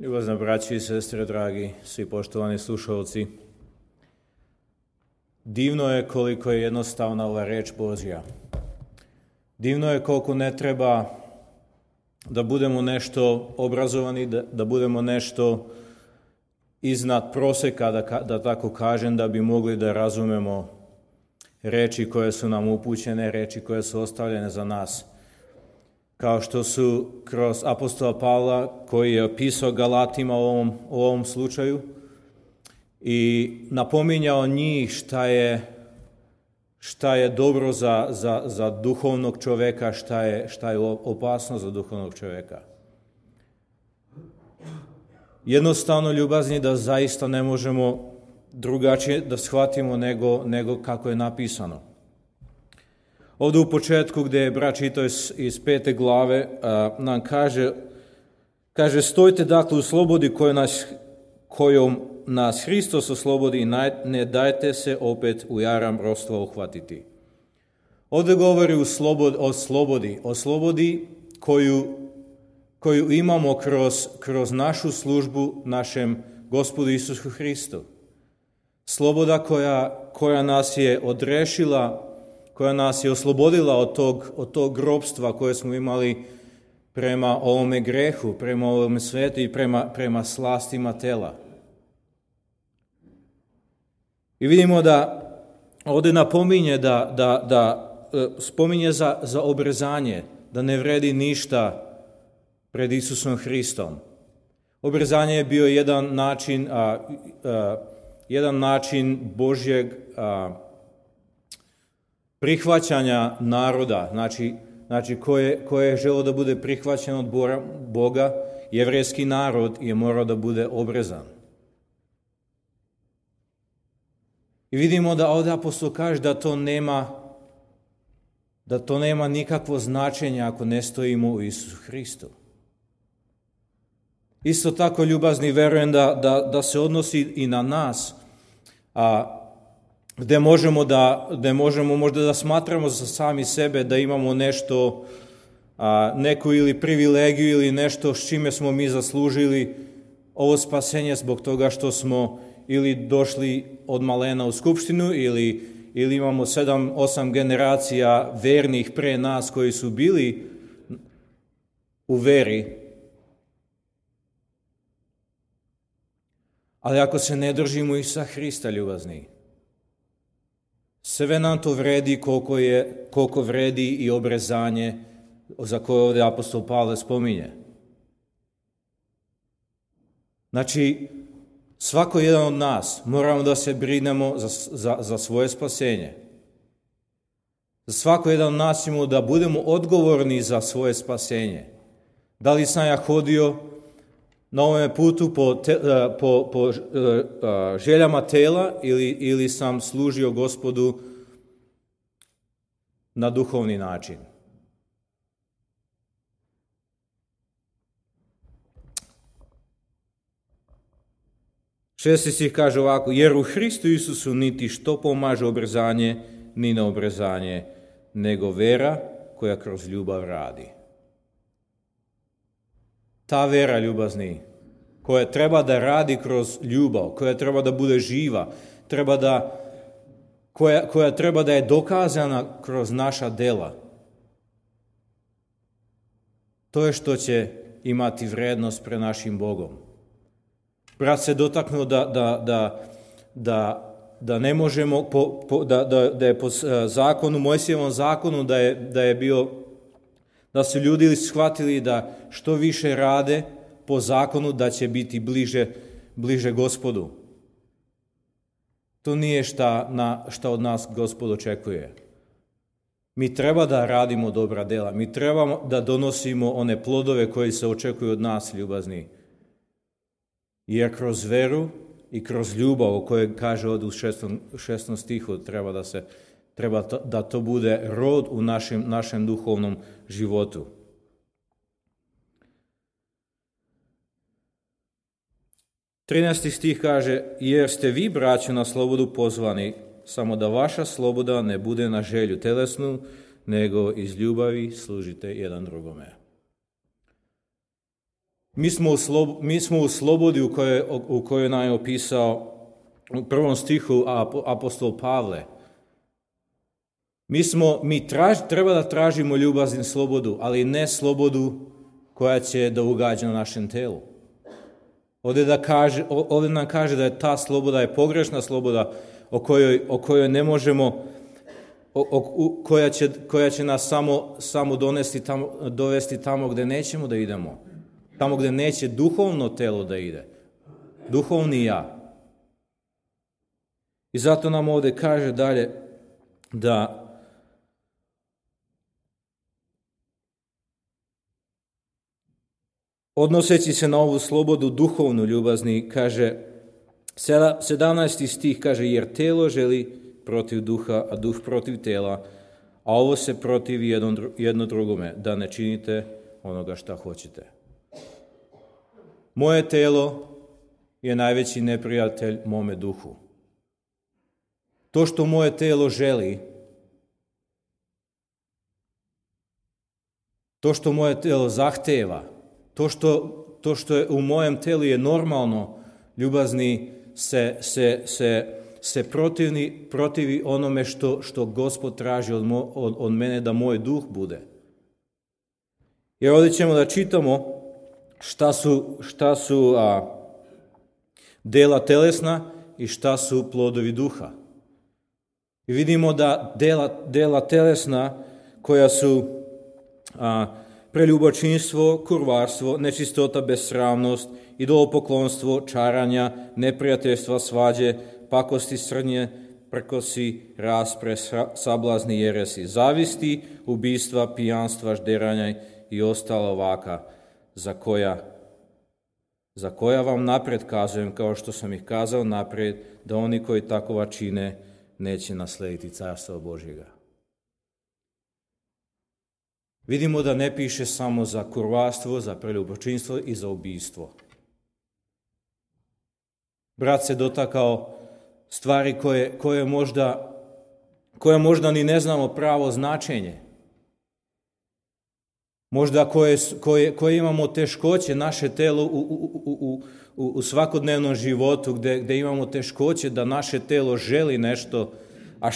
Ljubazna braći i sestre, dragi, svi poštovani slušalci. Divno je koliko je jednostavna ova reč Božja. Divno je koliko ne treba da budemo nešto obrazovani, da budemo nešto iznad proseka, da tako kažem, da bi mogli da razumemo reči koje su nam upućene, reči koje su ostavljene za nas. Kao što su kroz apostola Pavla, koji je opisao Galatima u ovom slučaju i napominjao njih šta je dobro za duhovnog čoveka, šta je opasno za duhovnog čoveka. Jednostavno, ljubazni, da zaista ne možemo drugačije da shvatimo nego kako je napisano. Ovdje u početku, gdje je brat čitao iz 5. glave, nam kaže stojte dakle u slobodi kojom nas Hristos oslobodi i ne dajte se opet u jaram ropstva uhvatiti. Ovdje govori o slobodi koju imamo kroz našu službu našem Gospodu Isusu Hristu. Sloboda koja nas je odrešila, koja nas je oslobodila od tog ropstva koje smo imali prema ovome grehu, prema ovome svetu i prema slastima tela. I vidimo da ovdje napominje da spominje za obrezanje, da ne vredi ništa pred Isusom Hristom. Obrezanje je bio jedan način Božjeg prihvaćanja naroda, znači koje je želeo da bude prihvaćen od Boga, jevrejski narod je morao da bude obrezan. I vidimo da ovdje apostol kaže da to nema nikakvo značenje ako ne stojimo u Isusu Hristu. Isto tako, ljubazni, verujem da se odnosi i na nas, gdje možemo možda da smatramo za sami sebe da imamo nešto, neku ili privilegiju ili nešto s čime smo mi zaslužili ovo spasenje zbog toga što smo ili došli od malena u skupštinu ili imamo 7-8 generacija vernih pre nas koji su bili u veri. Ali ako se ne držimo Isusa Hrista, ljubazni, sve nam to vredi koliko vredi i obrezanje za koje ovdje apostol Pavle spominje. Znači, svako jedan od nas moramo da se brinemo za svoje spasenje. Za svako jedan od nas imamo da budemo odgovorni za svoje spasenje. Da li sam ja hodio na ovome putu po željama tela ili sam služio Gospodu na duhovni način. Šesti stih kaže ovako: jer u Hristu Isusu niti što pomaže obrezanje, ni neobrezanje, nego vera koja kroz ljubav radi. Ta vera, ljubazni, koja treba da radi kroz ljubav, koja treba da bude živa, koja treba da je dokazana kroz naša dela, to je što će imati vrednost pred našim Bogom. Brat se dotaknuo da ne možemo, da je po zakonu, Mojsijevom zakonu, da je bio, da su ljudi shvatili da što više rade po zakonu, da će biti bliže Gospodu. To nije šta od nas Gospod očekuje. Mi treba da radimo dobra dela, mi trebamo da donosimo one plodove koji se očekuju od nas, ljubazni. Jer kroz veru i kroz ljubav, o kojoj kaže ovdje u 6. stihu, treba da to bude rod u našem duhovnom životu. Trinaesti stih kaže: jer ste vi, braćo, na slobodu pozvani, samo da vaša sloboda ne bude na želju telesnu, nego iz ljubavi služite jedan drugome. Mi smo u slobodi u kojoj nam je opisao u prvom stihu apostol Pavle. Treba da tražimo ljubaznu slobodu, ali ne slobodu koja će da ugađa na našem telu. Ovdje nam kaže da je ta sloboda je pogrešna sloboda o kojoj ne možemo, koja će nas samo dovesti tamo gdje nećemo da idemo. Tamo gdje neće duhovno telo da ide. Duhovni ja. I zato nam ovdje kaže dalje da odnoseći se na ovu slobodu duhovnu ljubazni, kaže 17. stih kaže, jer telo želi protiv duha, a duh protiv tela, a ovo se protivi jedno drugome, da ne činite onoga šta hoćete. Moje telo je najveći neprijatelj mome duhu. To što moje telo želi, to što moje telo zahteva, to što je u mojem telu je normalno, ljubazni, se protivi onome što Gospod traži od mene da moj duh bude. Jer ovdje ćemo da čitamo šta su dela telesna i šta su plodovi duha. I vidimo da dela telesna koja su preljubočinstvo, kurvarstvo, nečistota, besramnost, idolopoklonstvo, čaranja, neprijateljstva, svađe, pakosti, srnje, prkosi, raspre, sablazni, jeresi, zavisti, ubistva, pijanstva, žderanja i ostala ovaka, za koja vam napred kazujem, kao što sam ih kazao napred, da oni koji takova čine neće naslediti carstvo Božjega. Vidimo da ne piše samo za kurvarstvo, za preljubočinstvo i za ubistvo. Brat se dotakao stvari koje možda ni ne znamo pravo značenje. Možda koje imamo teškoće, naše telo u svakodnevnom životu, gdje imamo teškoće da naše telo želi nešto, a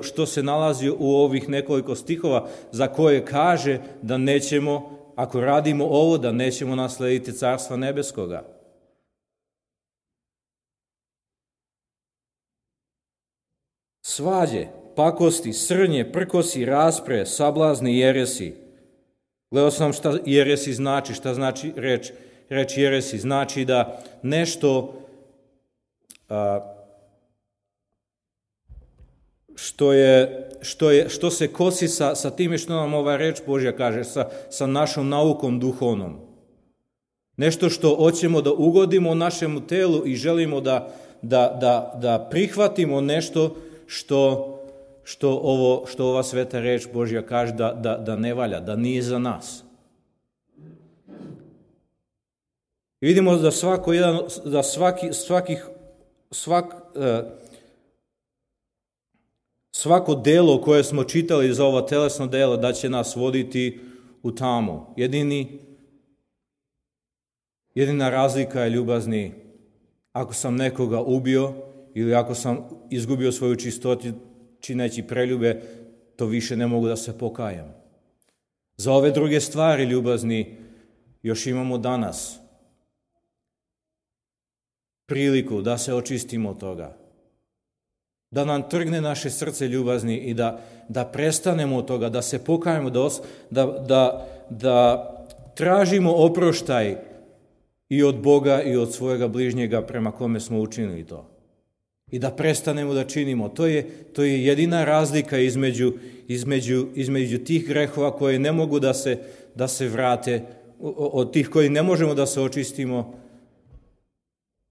što se nalazi u ovih nekoliko stihova za koje kaže da nećemo, ako radimo ovo, da nećemo naslediti carstva nebeskoga. Svađe, pakosti, srnje, prkosi, raspre, sablazni, jeresi. Gledao sam šta jeresi znači, šta znači reč jeresi. Znači da nešto što se kosi sa time što nam ova reč Božja kaže, sa našom naukom duhovnom. Nešto što hoćemo da ugodimo našemu telu i želimo da prihvatimo nešto što ova sveta reč Božja kaže da ne valja, da nije za nas. I vidimo da svako delo koje smo čitali za ovo telesno delo da će nas voditi u tamu. Jedina razlika je, ljubazni, ako sam nekoga ubio ili ako sam izgubio svoju čistotu čineći preljube, to više ne mogu da se pokajam. Za ove druge stvari, ljubazni, još imamo danas priliku da se očistimo od toga. Da nam trgne naše srce, ljubazni, i da prestanemo od toga, da se pokajemo, da tražimo oproštaj i od Boga i od svojega bližnjega prema kome smo učinili to. I da prestanemo da činimo. To je jedina razlika između tih grehova koje ne mogu da se vrate, od tih koji ne možemo da se očistimo,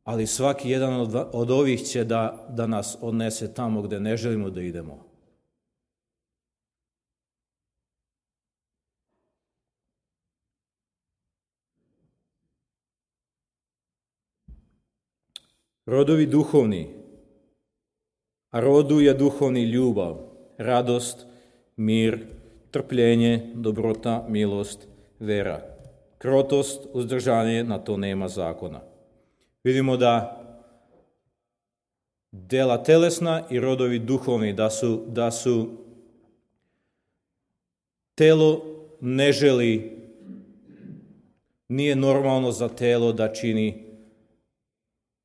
ali svaki jedan od ovih će da nas odnese tamo gdje ne želimo da idemo. Rodovi duhovni. A rodu je duhovni ljubav, radost, mir, trpljenje, dobrota, milost, vera, krotost, uzdržanje, na to nema zakona. Vidimo da dela telesna i rodovi duhovni, da su telo ne želi, nije normalno za telo da čini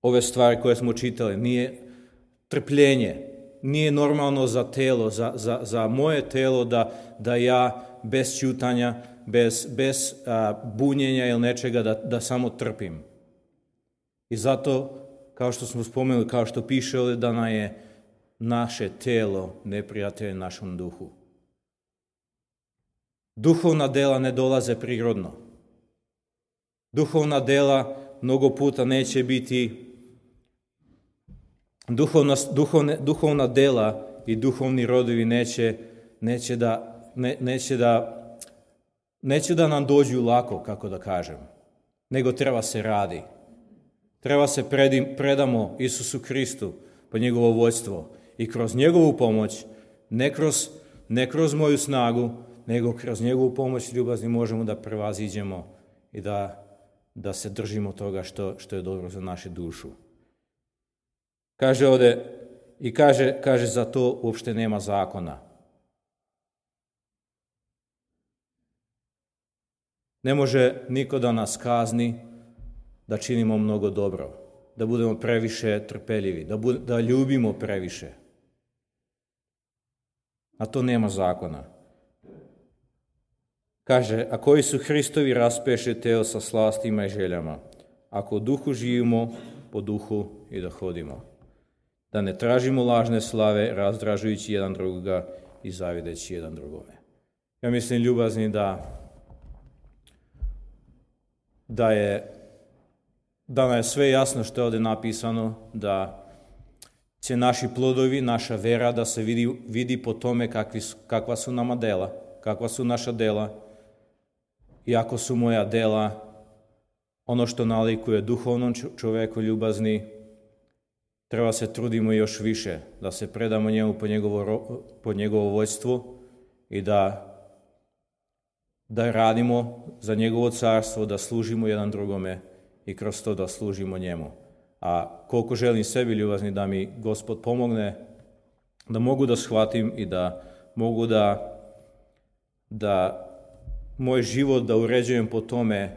ove stvari koje smo čitali, nije trpljenje, nije normalno za telo, za moje telo da ja bez ćutanja, bez bunjenja ili nečega da samo trpim. I zato, kao što smo spomenuli, kao što piše ovdje, da nam je naše telo neprijatelj našom duhu. Duhovna dela ne dolaze prirodno. Duhovna dela mnogo puta neće biti, duhovna dela i duhovni rodovi neće da nam dođu lako, kako da kažem, nego treba se radi. Treba se predamo Isusu Kristu po njegovo vođstvo i kroz njegovu pomoć, ne kroz moju snagu, nego kroz njegovu pomoć ljubazni možemo da prevaziđemo i da se držimo toga što je dobro za našu dušu. Kaže ovdje, i kaže za to uopšte nema zakona. Ne može niko da nas kazni da činimo mnogo dobro, da budemo previše trpeljivi, da ljubimo previše. A to nema zakona. Kaže, a koji su Hristovi raspeše telo sa slastima i željama, ako u duhu živimo, po duhu i da hodimo. Da ne tražimo lažne slave, razdražujući jedan drugoga i zavideći jedan drugome. Ja mislim, ljubazni, da nam je sve jasno što je ovdje napisano, da će naši plodovi, naša vera da se vidi po tome kakva su nama dela, kakva su naša dela. I ako su moja dela ono što nalikuje duhovnom čoveku ljubazni, treba se trudimo još više, da se predamo njemu po njegovo vođstvo i da radimo za njegovo carstvo, da služimo jedan drugome i kroz to da služimo njemu. A koliko želim sebi, ljubazni, da mi Gospod pomogne, da mogu da shvatim i da mogu da moj život da uređujem po tome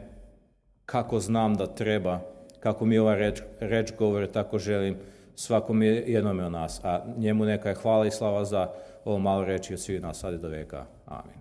kako znam da treba, kako mi ova reč govore, tako želim svakom jednome od nas. A njemu neka je hvala i slava za ovo malo reči od svih nas sad i do veka. Amin.